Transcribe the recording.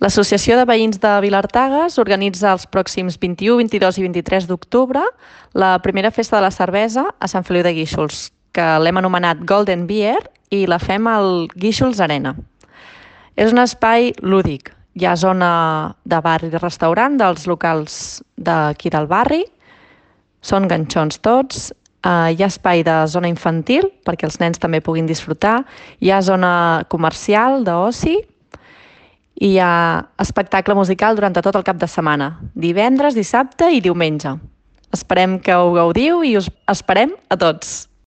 L'Associació de Veïns de Vilartagas organitza els pròxims 21, 22 i 23 d'octubre la primera festa de la cervesa a Sant Feliu de Guíxols, que l'hem anomenat Golden Beer i la fem al Guíxols Arena. És un espai lúdic. Hi ha zona de bar i de restaurant dels locals d'aquí del barri, són ganxons tots, hi ha espai de zona infantil perquè els nens també puguin disfrutar, hi ha zona comercial d'oci i hi ha espectacle musical durant tot el cap de setmana, divendres, dissabte i diumenge. Esperem que ho gaudiu i us esperem a tots.